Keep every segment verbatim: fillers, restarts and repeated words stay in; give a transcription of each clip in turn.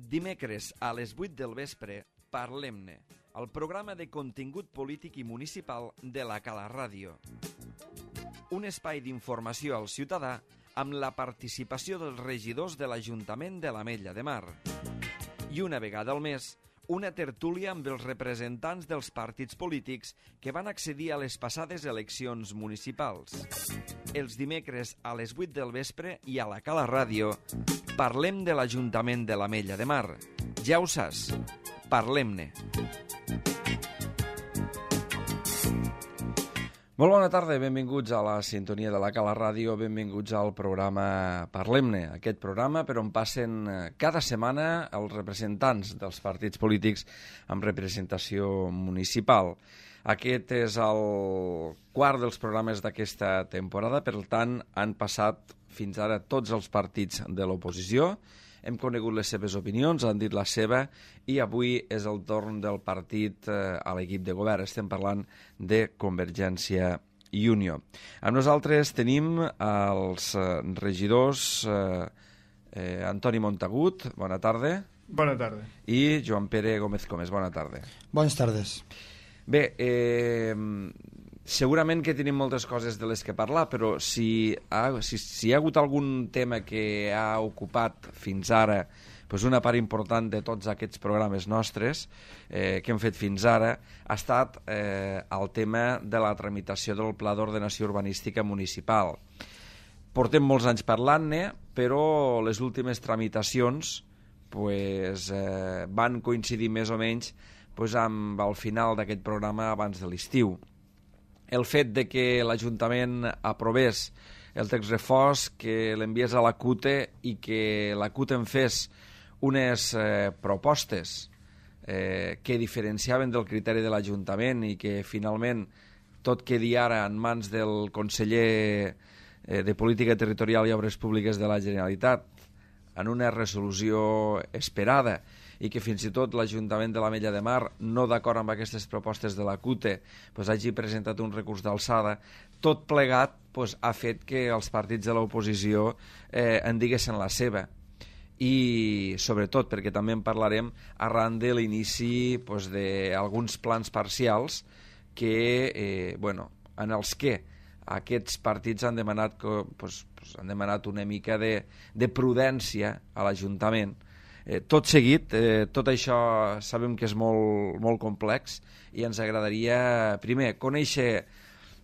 Dimecres a les vuit del vespre, Parlem-ne, el programa de contingut polític i municipal de la Cala Ràdio. Un espai d'informació al ciutadà amb la participació dels regidors de l'Ajuntament de l'Ametlla de Mar. I una vegada al mes, una tertúlia amb els representants dels partits polítics que van accedir a les passades eleccions municipals. Els dimecres a les vuit del vespre i a la Cala Ràdio parlem de l'Ajuntament de l'Ametlla de Mar. Ja ho saps, parlem-ne. Molt bona tarda, benvinguts a la sintonia de la Cala Ràdio, benvinguts al programa Parlem-ne, aquest programa per on passen cada setmana els representants dels partits polítics amb representació municipal. Aquest és el quart dels programes d'aquesta temporada, per tant han passat fins ara tots els partits de l'oposició, hem conegut les seves opinions, han dit la seva, i avui és el torn del partit eh, a l'equip de govern. Estem parlant de Convergència i Unió. Amb nosaltres tenim els eh, regidors eh, eh, Antoni Montagut, bona tarda. Bona tarda. I Joan Pere Gómez Comes, bona tarda. Bones tardes. Bé, eh, segurament que tenim moltes coses de les que parlar, però si, ha, si, si hi ha hagut algun tema que ha ocupat fins ara pues una part important de tots aquests programes nostres eh, que hem fet fins ara, ha estat eh, el tema de la tramitació del Pla d'Ordenació Urbanística Municipal. Portem molts anys parlant-ne, però les últimes tramitacions pues, eh, van coincidir més o menys pues, amb el final d'aquest programa abans de l'estiu. El fet de que l'Ajuntament aprovés el text refós, que l'enviés a la CUTE i que la CUTE en fes unes eh, propostes eh, que diferenciaven del criteri de l'Ajuntament i que finalment tot quedi ara en mans del conseller eh, de Política Territorial i Obres Públiques de la Generalitat en una resolució esperada i que fins i tot l'Ajuntament de l'Ametlla de Mar, no d'acord amb aquestes propostes de la CUTE, pues, hagi presentat un recurs d'alçada, tot plegat pues, ha fet que els partits de l'oposició eh, en diguessin la seva. I sobretot, perquè també en parlarem, arran de l'inici pues, d'alguns plans parcials que, eh, bueno, en els que aquests partits han demanat, que, pues, pues, han demanat una mica de, de prudència a l'Ajuntament. Eh, tot seguit, eh, tot això sabem que és molt, molt complex i ens agradaria, primer, conèixer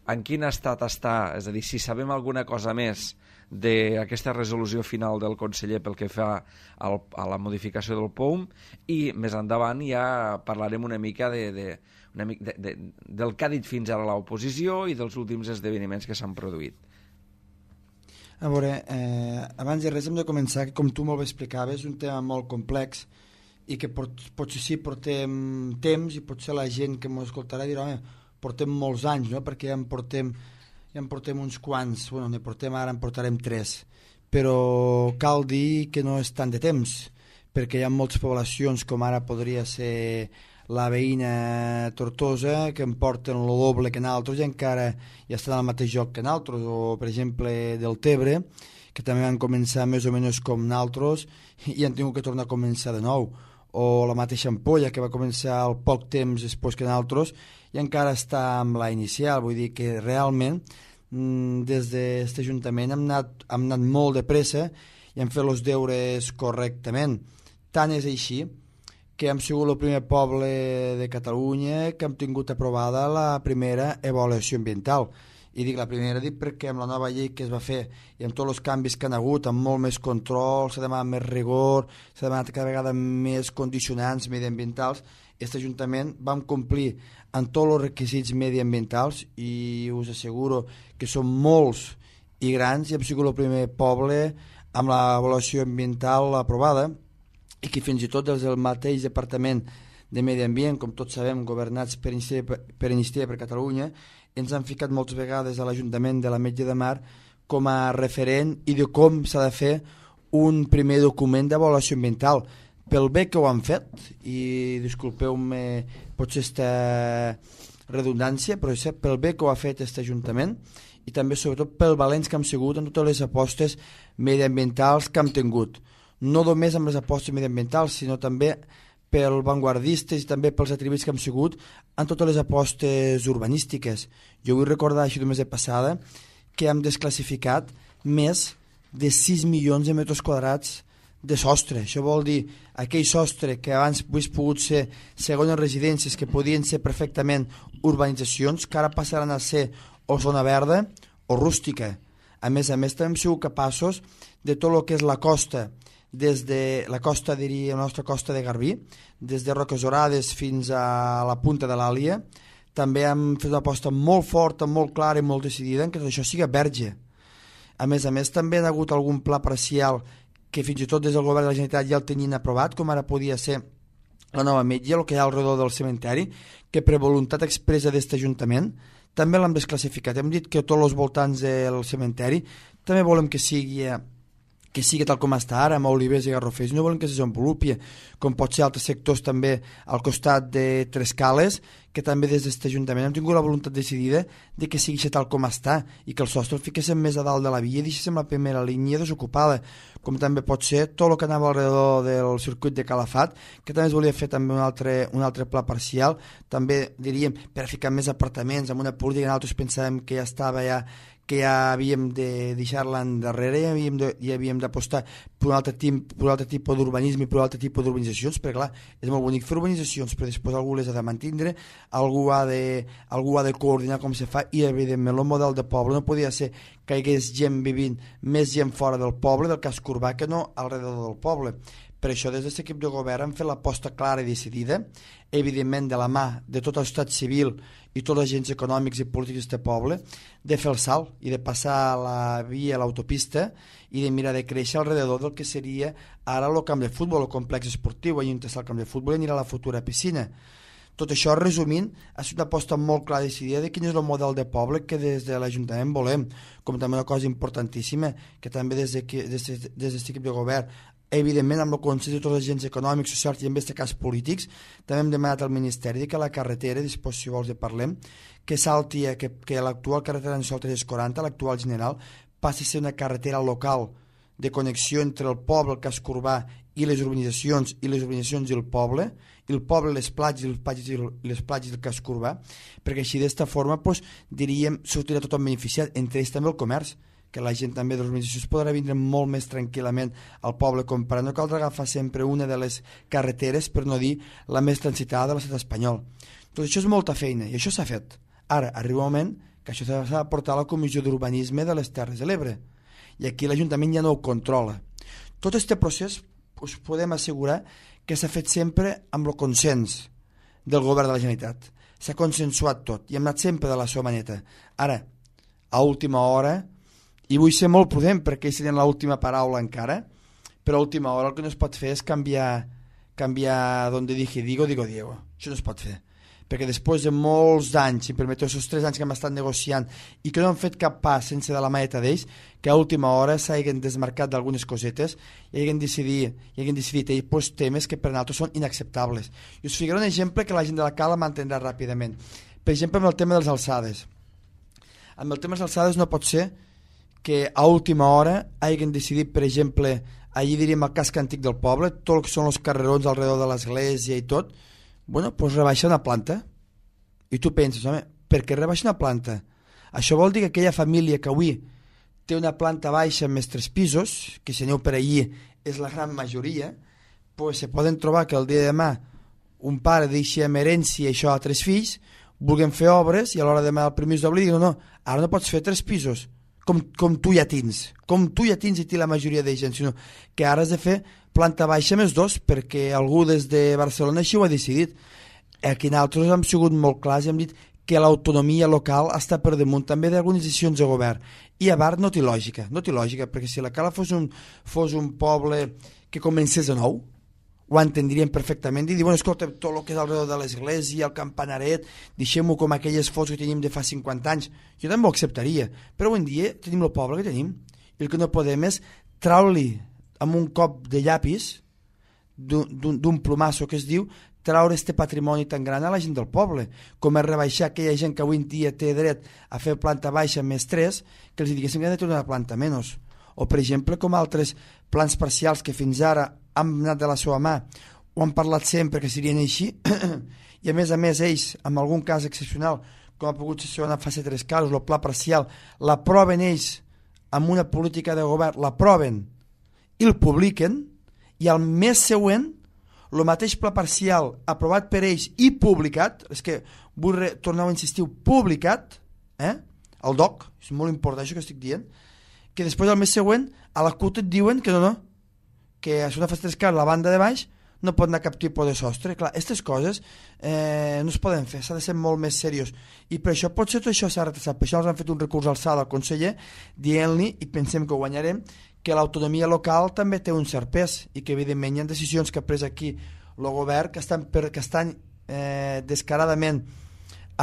en quin estat està, és a dir, si sabem alguna cosa més d'aquesta resolució final del conseller pel que fa al, a la modificació del P O U M, i més endavant ja parlarem una mica, de, de, una mica de, de, del que ha dit fins ara l'oposició i dels últims esdeveniments que s'han produït. A veure, eh, abans de res hem de començar, que com tu molt bé explicaves, és un tema molt complex i que pot, potser sí portem temps i potser la gent que m'ho escoltarà dirà, home, portem molts anys, no? Perquè ja en portem, ja en portem uns quants, bueno, ne portem ara, en portarem tres, però cal dir que no és tant de temps, perquè hi ha moltes poblacions, com ara podria ser la veïna Tortosa, que en porten el doble que nosaltres i encara ja estan al mateix joc que nosaltres, o per exemple del Tebre, que també van començar més o menys com nosaltres i han tingut que tornar a començar de nou, o la mateixa Ampolla, que va començar al poc temps després que nosaltres i encara està amb la inicial. Vull dir que realment des d'aquest Ajuntament hem anat, hem anat molt de pressa i hem fet els deures correctament. Tant és així que hem sigut el primer poble de Catalunya que hem tingut aprovada la primera avaluació ambiental. I dic la primera dic perquè amb la nova llei que es va fer i amb tots els canvis que han hagut, amb molt més control, s'ha demanat més rigor, s'ha demanat cada vegada més condicionants mediambientals, aquest Ajuntament vam complir amb tots els requisits mediambientals i us asseguro que són molts i grans i hem sigut el primer poble amb l'avaluació ambiental aprovada i que fins i tot des del mateix Departament de Medi Ambient, com tots sabem, governats per Iniciativa per, Iniciativa per Catalunya, ens han ficat moltes vegades a l'Ajuntament de l'Ametlla de Mar com a referent i de com s'ha de fer un primer document d'avaluació ambiental. Pel bé que ho han fet, i disculpeu-me potser aquesta redundància, però és pel bé que ho ha fet aquest Ajuntament i també sobretot pel valents que hem sigut en totes les apostes mediambientals que hem tingut. no només amb les apostes mediambientals, sinó també pels vanguardistes i també pels atributs que hem sigut en totes les apostes urbanístiques. Jo vull recordar, així només de passada, que hem desclassificat més de sis milions de metres quadrats de sostre. Això vol dir aquell sostre que abans hagués pogut ser segones residències, que podien ser perfectament urbanitzacions, que ara passaran a ser o zona verda o rústica. A més a més, també hem sigut capaços de tot el que és la costa, des de la costa, diria, la nostra costa de Garbí, des de Roques Orades fins a la punta de l'Àlia. També hem fet una aposta molt forta, molt clara i molt decidida en que això sigui verge. A més a més, també ha hagut algun pla parcial que fins i tot des del govern de la Generalitat ja el tenien aprovat, com ara podia ser la nova metge, el que hi ha al redor del cementeri, que per voluntat expressa d'aquest Ajuntament també l'hem desclassificat. Hem dit que tots els voltants del cementeri també volem que sigui que sigui tal com està ara, amb olivers i garrofers, no volem que se desenvolupi, com pot ser altres sectors també al costat de Trescales, que també des d'aquest Ajuntament hem tingut la voluntat decidida de que sigui tal com està i que el sostre el fiquéssim més a dalt de la via i deixéssim la primera línia desocupada, com també pot ser tot el que anava alrededor del circuit de Calafat, que també es volia fer també un altre, un altre pla parcial, també diríem per ficar més apartaments, amb una política que nosaltres pensàvem que ja estava ja que ja havíem de deixar-la endarrere i havíem de, ja havíem d'apostar per un altre, tip, per un altre tipus d'urbanisme i per un altre tipus d'urbanitzacions, perquè clar, és molt bonic fer urbanitzacions, però després algú les ha de mantindre, algú ha de, algú ha de coordinar com se fa, i evidentment el model de poble no podia ser que hi hagués gent vivint, més gent fora del poble, del casc urbà, que no al redor del poble. Per això, des d'aquest equip de govern hem fet l'aposta clara i decidida, evidentment de la mà de tot el estat civil i tots els agents econòmics i polítics d'aquest poble, de fer el salt i de passar la via, l'autopista, i de mirar de créixer alrededor del que seria ara el camp de futbol, el complex esportiu, allà on està el camp de futbol i anirà a la futura piscina. Tot això, resumint, ha estat una aposta molt clara i decidida de quin és el model de poble que des de l'Ajuntament volem, com també una cosa importantíssima, que també des d'aquest equip de govern, evidentment amb el consens de tots els agents econòmics, socials i en aquest cas polítics, també hem demanat al Ministeri que la carretera, després si vols de parlem, que salti, que, que l'actual carretera nacional tres quaranta, l'actual general, passi a ser una carretera local de connexió entre el poble, el casc urbà i les urbanitzacions i les urbanitzacions i el poble, i el poble, les platges i les platges i les platges del casc urbà, perquè així d'esta forma doncs, diríem, sortirà tothom beneficiat, entre ells també el comerç, que la gent també de les organitzacions podrà vindre molt més tranquil·lament al poble comprar. No caldrà agafar sempre una de les carreteres, per no dir la més transitada de l'estat espanyol. Tot això és molta feina i això s'ha fet. Ara, arriba un moment que això s'ha de portar a la Comissió d'Urbanisme de les Terres de l'Ebre i aquí l'Ajuntament ja no ho controla. Tot aquest procés us podem assegurar que s'ha fet sempre amb el consens del govern de la Generalitat. S'ha consensuat tot i hem anat sempre de la seva maneta. Ara, a última hora, i vull ser molt prudent perquè ells tenen l'última paraula encara, però a última hora el que no es pot fer és canviar, canviar donde dije digo, digo Diego. Això no es pot fer. Perquè després de molts anys, si em permeteu, aquests tres anys que hem estat negociant i que no han fet cap pas sense de la maneta d'ells, que a última hora s'hagin desmarcat d'algunes cosetes i hagin decidit, i hagin decidit ells pues, temes que per nosaltres són inacceptables. I us ficaré un exemple que la gent de la Cala m'entendrà ràpidament. Per exemple, amb el tema de les alçades. Amb el tema de les alçades no pot ser que a última hora hagin decidit, per exemple, allí diríem el casc antic del poble, tot el que són els carrerons alrededor de l'església i tot, bueno, doncs rebaixar una planta. I tu penses, home, per què rebaixar una planta? Això vol dir que aquella família que avui té una planta baixa amb més tres pisos, que si aneu per allí és la gran majoria, doncs se poden trobar que el dia de demà un pare deixi amb herència això a tres fills, vulguem fer obres i a l'hora de demanar el permís d'obrir diuen no, no, ara no pots fer tres pisos, Com, com tu ja tens, com tu ja tens i té la majoria de gent, sinó que ara has de fer planta baixa més dos, perquè algú des de Barcelona així ho ha decidit. Aquí nosaltres hem sigut molt clars i hem dit que l'autonomia local està per damunt també d'algunes decisions de govern. I a part no té lògica, no té lògica, perquè si la Cala fos un, fos un poble que comencés de nou, ho entendríem perfectament i dir, bueno, escolta, tot el que és alrededor de l'església, el campanaret, deixem-ho com aquelles fotos que tenim de fa cinquanta anys. Jo també ho acceptaria, però avui en dia tenim el poble que tenim i el que no podem és treure-li amb un cop de llapis d'un plomasso que es diu treure este patrimoni tan gran a la gent del poble, com és rebaixar aquella gent que avui en dia té dret a fer planta baixa més tres, que els diguéssim que han de tenir una planta menys, o per exemple com altres plans parcials que fins ara han anat de la seva mà o han parlat sempre que serien així i a més a més ells, en algun cas excepcional, com ha pogut ser una fase tres casos, el pla parcial, l'aproven ells amb una política de govern, l'aproven i el publiquen, i al mes següent el mateix pla parcial aprovat per ells i publicat, és que vull re, tornar a insistir, publicat, eh? El D O C, és molt important això que estic dient, que després al mes següent a la C U T et diuen que no, no, que a una fase tres casos la banda de baix no pot anar a cap tipus de sostre. Clar, aquestes coses eh, no es poden fer, s'ha de ser molt més seriós. I per això potser tot això s'ha retrasat. Per això els han fet un recurs alçada al conseller dient-li, i pensem que ho guanyarem, que l'autonomia local també té un cert pes i que evidentment hi ha decisions que ha pres aquí el govern que estan, per, que estan eh, descaradament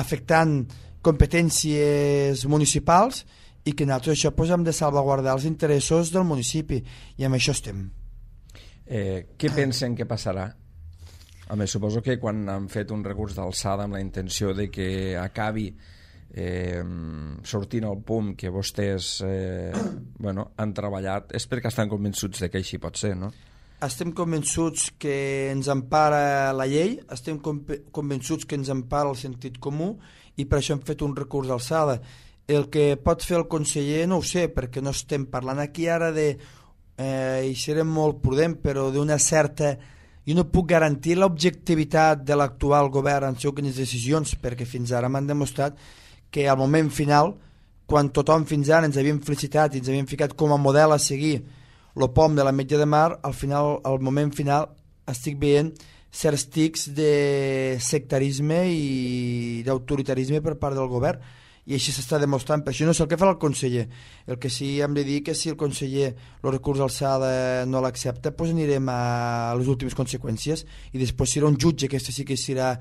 afectant competències municipals i que nosaltres això pues, hem de salvaguardar els interessos del municipi i amb això estem. Eh, què pensen que passarà? A més, suposo que quan han fet un recurs d'alçada amb la intenció de que acabi eh, sortint al punt que vostès eh, bueno, han treballat, és perquè estan convençuts de que així pot ser, no? Estem convençuts que ens empara la llei, estem convençuts que ens empara el sentit comú i per això hem fet un recurs d'alçada. El que pot fer el conseller no ho sé, perquè no estem parlant aquí ara de Eh, i serem molt prudent, però d'una certa... Jo no puc garantir l'objectivitat de l'actual govern en les decisions, perquè fins ara m'han demostrat que al moment final, quan tothom fins ara ens havíem felicitat i ens havíem ficat com a model a seguir el P O M de la Metge de Mar, al final, al moment final estic veient certs tics de sectarisme i d'autoritarisme per part del govern, i així s'està demostrant. Per això no sé el que farà el conseller. El que sí hem de dir que si el conseller el recurs d'alçada no l'accepta, doncs anirem a les últimes conseqüències i després serà un jutge, que sí que serà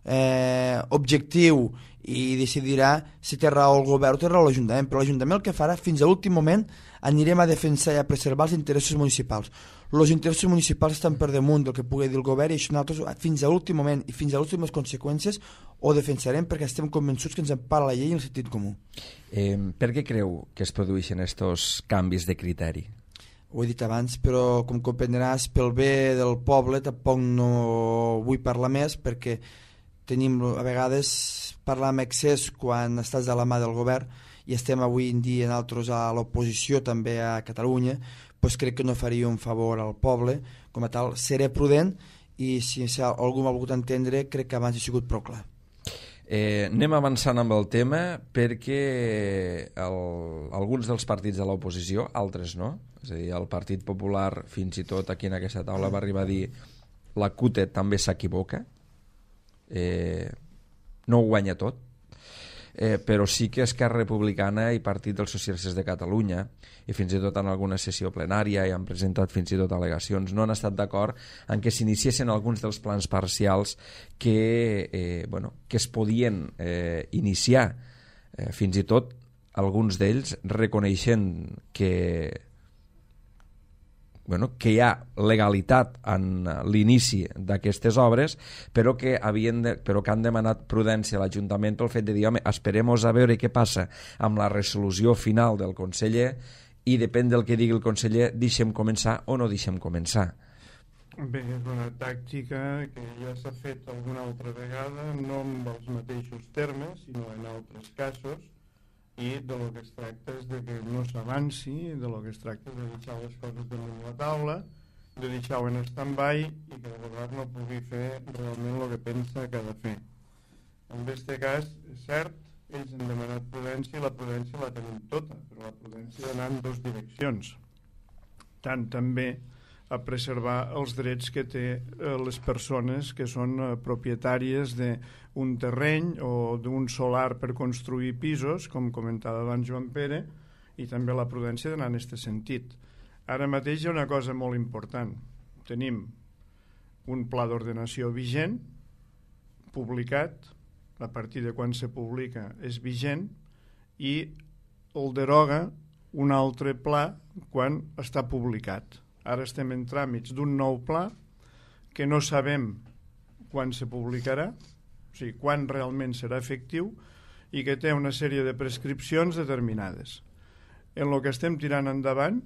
eh, objectiu i decidirà si té raó el govern o té raó l'Ajuntament, però l'Ajuntament el que farà fins a l'últim moment anirem a defensar i a preservar els interessos municipals. Els interessos municipals estan per damunt del que pugui dir el govern i això nosaltres fins a l'últim moment i fins a les últimes conseqüències ho defensarem perquè estem convençuts que ens empara la llei i el sentit comú. Eh, per què creu que es produeixen aquests canvis de criteri? Ho he dit abans, però com comprendràs, pel bé del poble tampoc no vull parlar més perquè tenim a vegades parlar amb excés quan estàs de la mà del govern i estem avui en dia nosaltres a l'oposició també a Catalunya, doncs crec que no faria un favor al poble, com a tal seré prudent i si algú m'ha volgut entendre crec que abans he sigut prou clar. Eh, anem avançant amb el tema perquè el, alguns dels partits de l'oposició, altres no, és a dir, el Partit Popular fins i tot aquí en aquesta taula va arribar a dir la C U T també s'equivoca, eh, no ho guanya tot, eh, però sí que Esquerra Republicana i Partit dels Socialistes de Catalunya i fins i tot en alguna sessió plenària i han presentat fins i tot al·legacions, no han estat d'acord en que s'iniciessin alguns dels plans parcials que, eh, bueno, que es podien eh, iniciar, eh, fins i tot alguns d'ells reconeixent que bueno, que hi ha legalitat en l'inici d'aquestes obres, però que, havien de, però que han demanat prudència a l'Ajuntament pel fet de dir, home, esperem-nos a veure què passa amb la resolució final del conseller i depèn del que digui el conseller, deixem començar o no deixem començar. Bé, és una tàctica que ja s'ha fet alguna altra vegada, no amb els mateixos termes, sinó en altres casos, i de lo que es tracta és de que no s'avanci, de lo que es tracta és de deixar les coses damunt la taula, de deixar-ho en stand-by i que el govern no pugui fer realment el que pensa que ha de fer. En aquest cas, és cert, ells han demanat prudència i la prudència la tenim tota, però la prudència d'anar en dues direccions. Tant també a preservar els drets que té eh, les persones que són eh, propietàries d'un terreny o d'un solar per construir pisos, com comentava abans Joan Pere, i també la prudència d'anar en aquest sentit. Ara mateix hi ha una cosa molt important. Tenim un pla d'ordenació vigent, publicat, a partir de quan se publica és vigent, i el deroga un altre pla quan està publicat. Ara estem en tràmits d'un nou pla que no sabem quan se publicarà, o sigui, quan realment serà efectiu, i que té una sèrie de prescripcions determinades. En el que estem tirant endavant,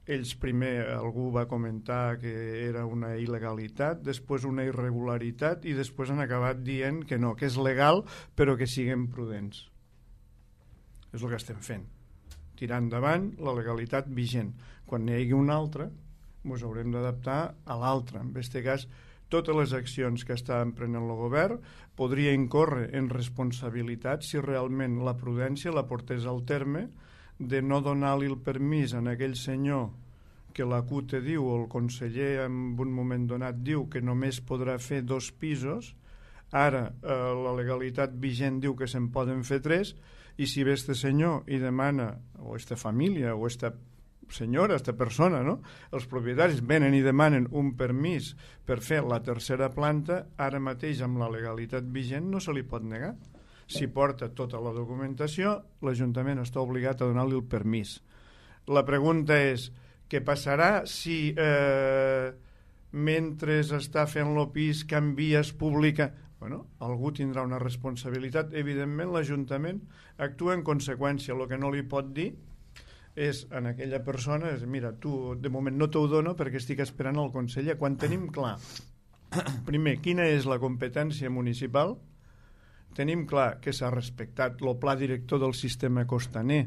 ells primer, algú va comentar que era una il·legalitat, després una irregularitat i després han acabat dient que no, que és legal però que siguem prudents. És el que estem fent, tirar endavant la legalitat vigent. Quan n'hi hagi una altra, ens haurem d'adaptar a l'altra. En aquest cas, totes les accions que està emprenent el govern podria incórrer en responsabilitat si realment la prudència la portés al terme de no donar-li el permís a aquell senyor que la C U T diu, o el conseller en un moment donat diu que només podrà fer dos pisos, ara eh, la legalitat vigent diu que se'n poden fer tres, i si ve este senyor i demana, o esta família, o esta senyora, esta persona, no? Els propietaris venen i demanen un permís per fer la tercera planta, ara mateix amb la legalitat vigent no se li pot negar. Si porta tota la documentació, l'Ajuntament està obligat a donar-li el permís. La pregunta és, què passarà si eh, mentre està fent el pis canvia, es publica? Bueno, algú tindrà una responsabilitat. Evidentment, l'Ajuntament actua en conseqüència. El que no li pot dir és en aquella persona, és, mira, tu de moment no t'ho dono perquè estic esperant el conseller. Quan tenim clar, primer, quina és la competència municipal, tenim clar que s'ha respectat el pla director del sistema costaner,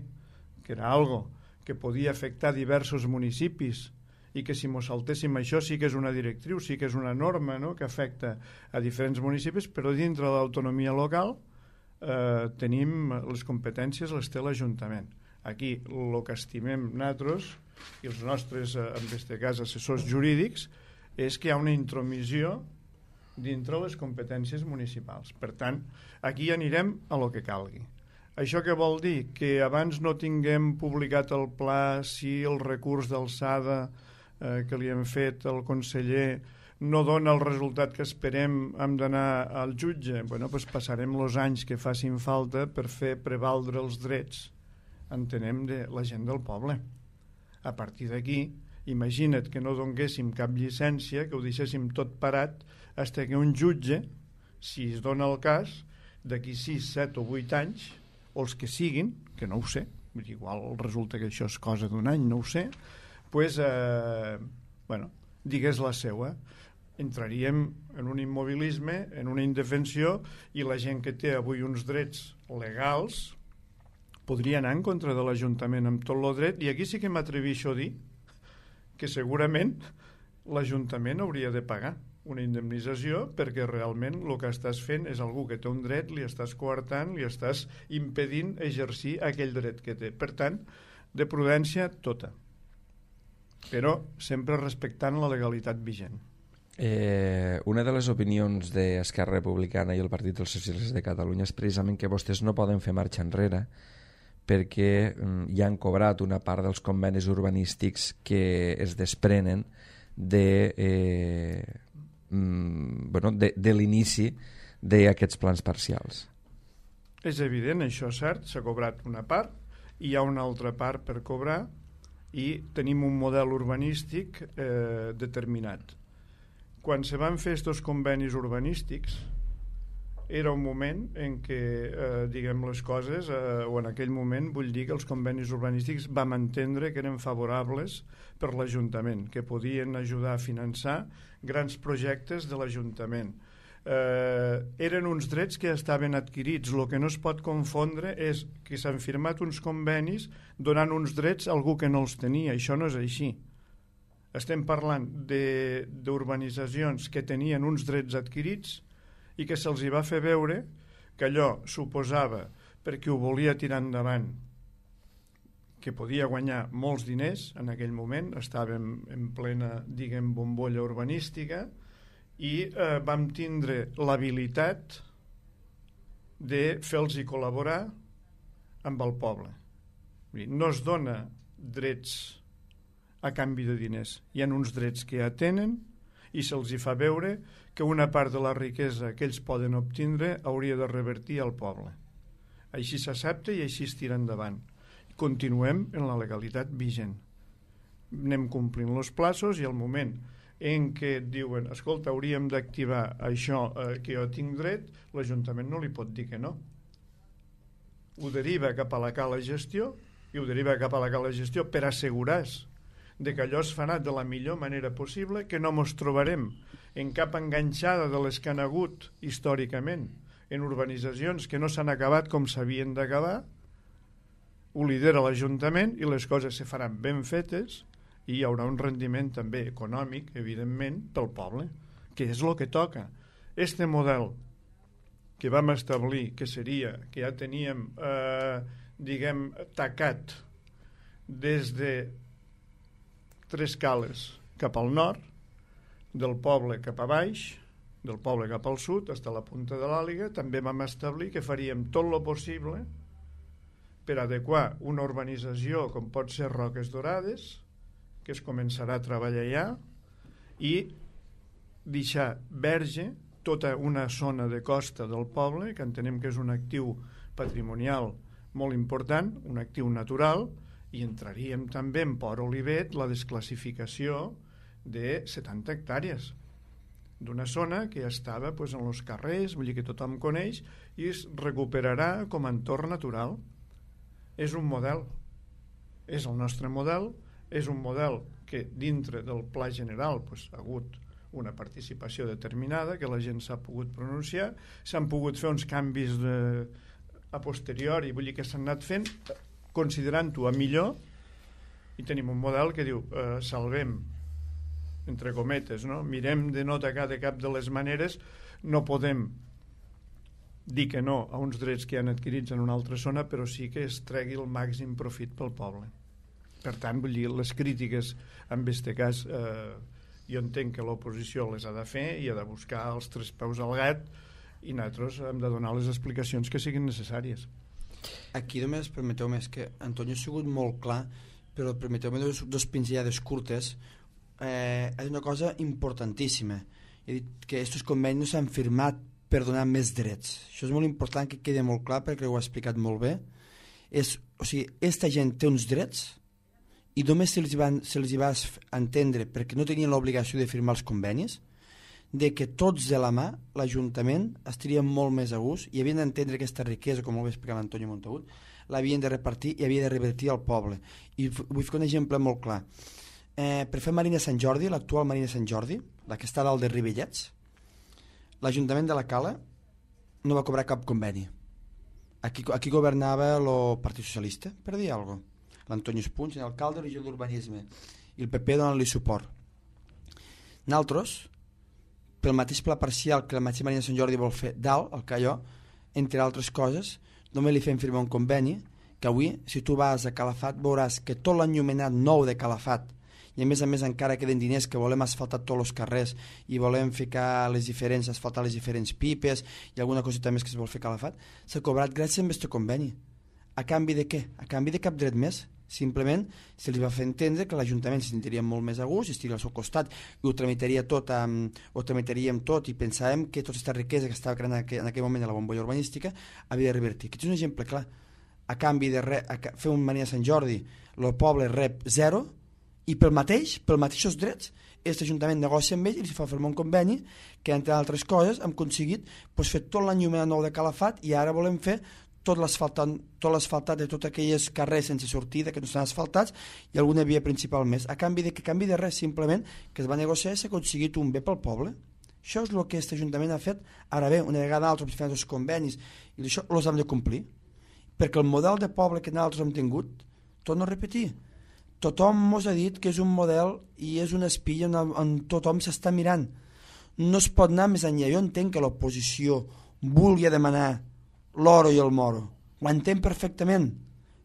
que era algo que podia afectar diversos municipis i que si mos saltéssim això sí que és una directriu, sí que és una norma, no?, que afecta a diferents municipis, però dintre de l'autonomia local eh, tenim les competències, les té l'Ajuntament. Aquí el que estimem nosaltres i els nostres, eh, en aquest cas, assessors jurídics, és que hi ha una intromissió dintre les competències municipals. Per tant, aquí anirem a lo que calgui. Això què vol dir? Que abans no tinguem publicat el pla si el recurs d'alçada eh, que li hem fet al conseller no dona el resultat que esperem, hem d'anar al jutge. Bueno, doncs passarem els anys que facin falta per fer prevaldre els drets, entenem, de la gent del poble. A partir d'aquí, imagina't que no donguéssim cap llicència, que ho deixéssim tot parat, fins que un jutge, si es dona el cas, d'aquí sis, set o vuit anys, o els que siguin, que no ho sé, igual resulta que això és cosa d'un any, no ho sé, pues, eh, bueno, digués la seua. Entraríem en un immobilisme, en una indefensió, i la gent que té avui uns drets legals podria anar en contra de l'Ajuntament amb tot el dret, i aquí sí que m'atreveixo a dir que segurament l'Ajuntament hauria de pagar una indemnització perquè realment el que estàs fent és algú que té un dret, li estàs coartant, li estàs impedint exercir aquell dret que té. Per tant, de prudència tota, però sempre respectant la legalitat vigent. Eh, una de les opinions d'Esquerra Republicana i el Partit dels Socialistes de Catalunya és precisament que vostès no poden fer marxa enrere perquè mm, ja han cobrat una part dels convenis urbanístics que es desprenen de... Eh, bueno, de, de l'inici d'aquests plans parcials. És evident, això és cert, s'ha cobrat una part, hi ha una altra part per cobrar i tenim un model urbanístic eh, determinat. Quan se van fer aquests convenis urbanístics era un moment en què, eh, diguem les coses, eh, o en aquell moment vull dir que els convenis urbanístics vam entendre que eren favorables per l'Ajuntament, que podien ajudar a finançar grans projectes de l'Ajuntament. Eh, eren uns drets que estaven adquirits. El que no es pot confondre és que s'han firmat uns convenis donant uns drets a algú que no els tenia. Això no és així. Estem parlant d'urbanitzacions que tenien uns drets adquirits i que se'ls hi va fer veure que allò suposava, perquè ho volia tirar endavant, que podia guanyar molts diners. En aquell moment estàvem en plena, diguem, bombolla urbanística i eh, vam tindre l'habilitat de fer-los col·laborar amb el poble. No es dona drets a canvi de diners. Hi ha uns drets que ja tenen i se'ls hi fa veure que una part de la riquesa que ells poden obtindre hauria de revertir al poble. Així s'accepta i així es tira endavant. Continuem en la legalitat vigent. Anem complint els plaços i al moment en què et diuen escolta, hauríem d'activar això eh, que jo tinc dret, l'Ajuntament no li pot dir que no. Ho deriva cap a la cala gestió i ho deriva cap a la cala de gestió per assegurar-se de que allò es farà de la millor manera possible, que no ens trobarem en cap enganxada de les que han hagut històricament en urbanitzacions que no s'han acabat com s'havien d'acabar. Ho lidera l'Ajuntament i les coses se faran ben fetes i hi haurà un rendiment també econòmic, evidentment, pel poble, que és el que toca. Este model que vam establir, que seria, que ja teníem, eh, diguem, tacat des de Tres Cales cap al nord, del poble cap a baix, del poble cap al sud, fins a la punta de l'Àliga, també vam establir que faríem tot el possible per adequar una urbanització com pot ser Roques Dorades, que es començarà a treballar ja, i deixar verge tota una zona de costa del poble, que entenem que és un actiu patrimonial molt important, un actiu natural, i entraríem també en Port Olivet la desclassificació de setanta hectàrees d'una zona que ja estava pues, en els carrers, vull dir que tothom coneix, i es recuperarà com a entorn natural. És un model, és el nostre model, és un model que dintre del pla general pues, ha hagut una participació determinada, que la gent s'ha pogut pronunciar, s'han pogut fer uns canvis de, a posteriori, vull dir que s'han anat fent considerant-ho a millor, i tenim un model que diu eh, salvem, entre cometes, no? Mirem de no atacar de cap de les maneres, no podem dir que no a uns drets que han adquirits en una altra zona, però sí que es tregui el màxim profit pel poble. Per tant, vull dir, les crítiques en aquest cas eh, jo entenc que l'oposició les ha de fer i ha de buscar els tres peus al gat, i nosaltres hem de donar les explicacions que siguin necessàries. Aquí només, permeteu més que Antonio ha sigut molt clar, però permeteu-me dos, dos pinzellades curtes. Eh, és una cosa importantíssima. He dit que aquests convenis no s'han firmat per donar més drets. Això és molt important que quedi molt clar, perquè ho ha explicat molt bé. És, o sigui, aquesta gent té uns drets i només se'ls van, se'ls va entendre, perquè no tenien l'obligació de firmar els convenis, de que tots de la mà, l'Ajuntament, estaríem molt més a gust i havien d'entendre aquesta riquesa, com ho va explicar l'Antonio Montagut, l'havien de repartir i havia de revertir al poble. I vull fer un exemple molt clar. Eh, per fer Marina Sant Jordi, l'actual Marina Sant Jordi, la que està dalt de Rivellets, l'Ajuntament de la Cala no va cobrar cap conveni. Aquí, aquí governava el Partit Socialista, per dir alguna cosa. L'Antonio Espunys, l'alcalde, regió d'Urbanisme, i el P P donant-li suport. Nosaltres, pel mateix pla parcial que la mateixa Marina Sant Jordi vol fer dalt, al Calló, entre altres coses, només li fem firmar un conveni que avui, si tu vas a Calafat, veuràs que tot l'enllumenat nou de Calafat, i a més a més encara queden diners que volem asfaltar tots els carrers i volem ficar les diferents, asfaltar les diferents pipes i alguna coseta més que es vol fer a Calafat, s'ha cobrat gràcies a aquest conveni. A canvi de què? A canvi de cap dret més. Simplement se li va fer entendre que l'Ajuntament se sentiria molt més a gust i estiria al seu costat i ho tramitaria tot, um, ho tramitaríem tot i pensàvem que tota aquesta riquesa que estava creant en aquell, en aquell moment a la bombolla urbanística havia de revertir. Aquest és un exemple clar. A canvi de re, a fer un Marina Sant Jordi, el poble rep zero i pel mateix, pel mateixos drets, aquest Ajuntament negocia amb ell i li fa firmar un conveni que, entre altres coses, hem aconseguit pues, fer tot l'enllumenat nou de Calafat i ara volem fer tot l'asfaltat, tot l'asfaltat de tots aquells carrers sense sortida que no estan asfaltats i alguna via principal més. A canvi de que canvi de res, simplement que es va negociar i s'ha aconseguit un bé pel poble. Això és el que aquest Ajuntament ha fet. Ara bé, una vegada altres fem els convenis i això els hem de complir. Perquè el model de poble que nosaltres hem tingut, torno a repetir, tothom ens ha dit que és un model i és una espilla on, on tothom s'està mirant. No es pot anar més enllà. Jo entenc que l'oposició vulgui demanar l'oro i el moro, ho entenc perfectament,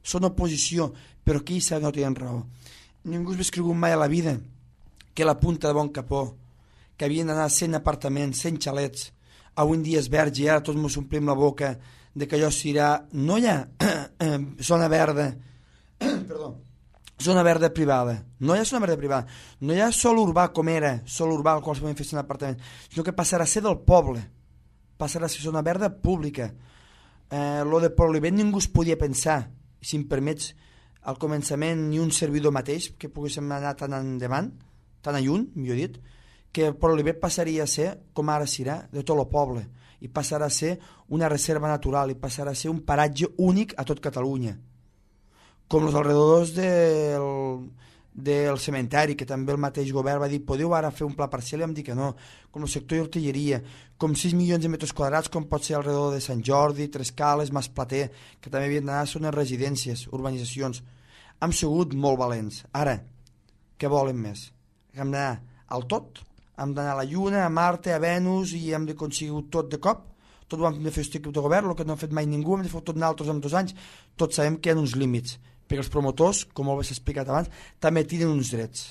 són oposició, però aquí no tenen raó. Ningú s'ha escrigut mai a la vida que la punta de Bon Capó, que havien d'anar cent apartaments, cent xalets, avui en dia és verge i ara tots ens omplim la boca de que allò serà, no hi ha zona verda, perdó, zona verda privada, no hi ha zona verda privada, no hi ha sol urbà com era, sol urbà al qual es poden fer cent apartaments, sinó que passarà a ser del poble, passarà a ser zona verda pública. Eh, lo de Port Olivet ningú es podia pensar, si em permets, al començament ni un servidor mateix que poguéssim anar tan endavant, tan a lluny, millor dit, que Port Olivet passaria a ser, com ara serà, de tot el poble, i passarà a ser una reserva natural, i passarà a ser un paratge únic a tot Catalunya. com els alrededors del, del cementeri, que també el mateix govern va dir podeu ara fer un pla parcial, i vam dir que no, com el sector d'hortilleria, com sis milions de metres quadrats, com pot ser alrededor de Sant Jordi, Trescales, Masplater, que també havien d'anar a zones residències, urbanitzacions. Hem sigut molt valents. Ara, què volen més? Hem d'anar al tot? Hem d'anar a la Lluna, a Marte, a Venus, i hem d'aconseguir tot de cop? Tot ho hem de fer aquest equip de govern, el que no ha fet mai ningú, hem de fer tot nosaltres en dos anys. Tots sabem que hi ha uns límits, perquè els promotors, com ho has explicat abans, també tenen uns drets.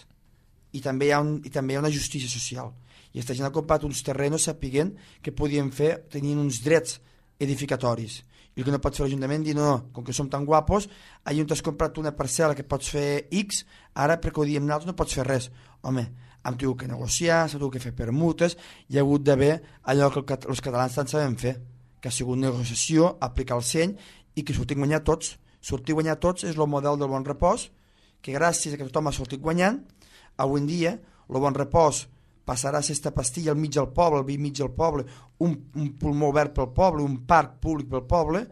I també hi ha, un, i també hi ha una justícia social. I aquesta gent ha comprat uns terrenos sapiguent que podien fer, tenien uns drets edificatoris. I el que no pot fer l'Ajuntament dir, no, no, com que som tan guapos, allà on t'has comprat una parcel·la que pots fer X, ara perquè ho diem nosaltres no pots fer res. Home, hem tingut que negociar, s'ha tingut que fer permutes, hi ha hagut d'haver allò que els catalans tant sabem fer, que ha sigut negociació, aplicar el seny i que sortim guanyar tots. Sortir guanyar tots és el model del Bon Repòs, que gràcies a que tothom ha sortit guanyant, avui en dia el Bon Repòs passarà a ser esta pastilla al mig del poble, al mig del poble, un, un pulmó obert pel poble, un parc públic pel poble,